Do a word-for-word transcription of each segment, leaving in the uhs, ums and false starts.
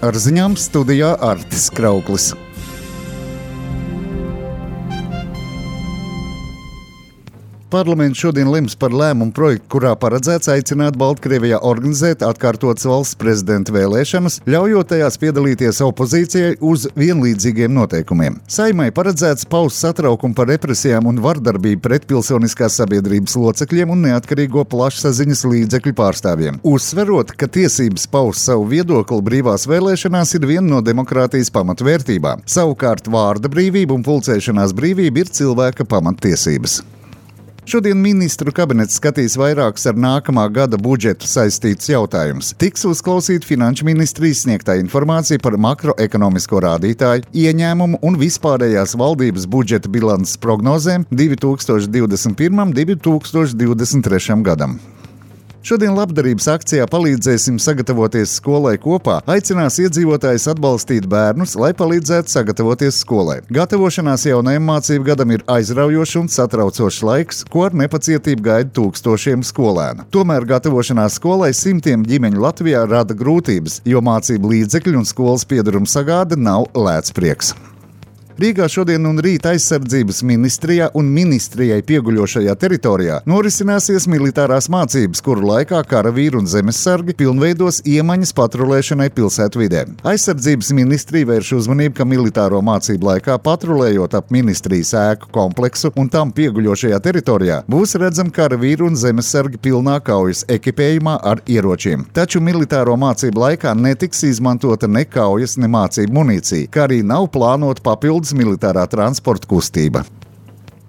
Ar ziņām studijā Artis Krauklis. Parlaments šodien lems par lēmumu projektu, kurā paredzēts aicināt Baltkrievijā organizēt atkārtotas valsts prezidenta vēlēšanas, ļaujot tajās piedalīties opozīcijai uz vienlīdzīgiem noteikumiem. Saeimai paredzēts paust satraukumu par represijām un vardarbību pret pilsoniskās sabiedrības locekļiem un neatkarīgo plašsaziņas līdzekļu pārstāvjiem. Uzsverot, ka tiesības paust savu viedokli brīvās vēlēšanās ir viena no demokrātijas pamatvērtībām. Savukārt vārda brīvība un pulcēšanās brīvība ir cilvēka pamattiesības. Šodien ministru kabinets skatīs vairākus ar nākamā gada budžetu saistītus jautājumus. Tiks uzklausīta finanšu ministrijas sniegtā informācija par makroekonomisko rādītāju, ieņēmumu un vispārējās valdības budžeta bilances prognozēm divi tūkstoši divdesmit pirmajam un divi tūkstoši divdesmit trešajam gadam. Šodien labdarības akcijā Palīdzēsim sagatavoties skolai kopā aicinās iedzīvotājus atbalstīt bērnus, lai palīdzētu sagatavoties skolai. Gatavošanās jaunajam mācību gadam ir aizraujošs un satraucošs laiks, ko ar nepacietību gaida tūkstošiem skolēnu. Tomēr gatavošanās skolai simtiem ģimeņu Latvijā rada grūtības, jo mācību līdzekļu un skolas piedaruma sagāde nav lēts prieks. Rīgā šodien un rīt aizsardzības ministrijā un ministrijai pieguļošajā teritorijā norisināsies militārās mācības, kuru laikā karavīri un zemessargi pilnveidos iemaņas patrulēšanai pilsētvidē. Aizsardzības ministrija vērš uzmanību, ka militāro mācību laikā patrulējot ap ministrijas ēku kompleksu un tam pieguļošajā teritorijā būs redzami karavīri un zemessargi pilnā kaujas ekipējumā ar ieročiem. Taču militāro mācību laikā netiks izmantota ne kaujas, ne mācību munīcija, kā arī nav plānota papildu militārā transporta kustība.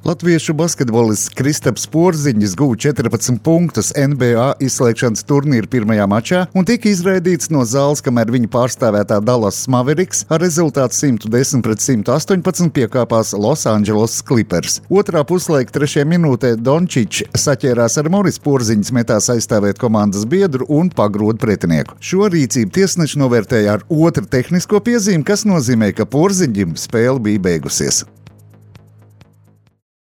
Latviešu basketbolists Kristaps Porziņš guva četrpadsmit punktus N B A izslēgšanas turnīra pirmajā mačā un tika izraidīts no zāles, kamēr viņa pārstāvētā Dallas Mavericks ar rezultātu simt desmit pret simt astoņpadsmit piekāpās Losandželosas Clippers. Otrā puslaika trešajā minūtē Dončičs saķērās ar Moris Porziņas metās aizstāvēt komandas biedru un pagrūda pretinieku. Šo rīcību tiesneši novērtēja ar otru tehnisko piezīmi, kas nozīmē, ka Porziņam spēle bija beigusies.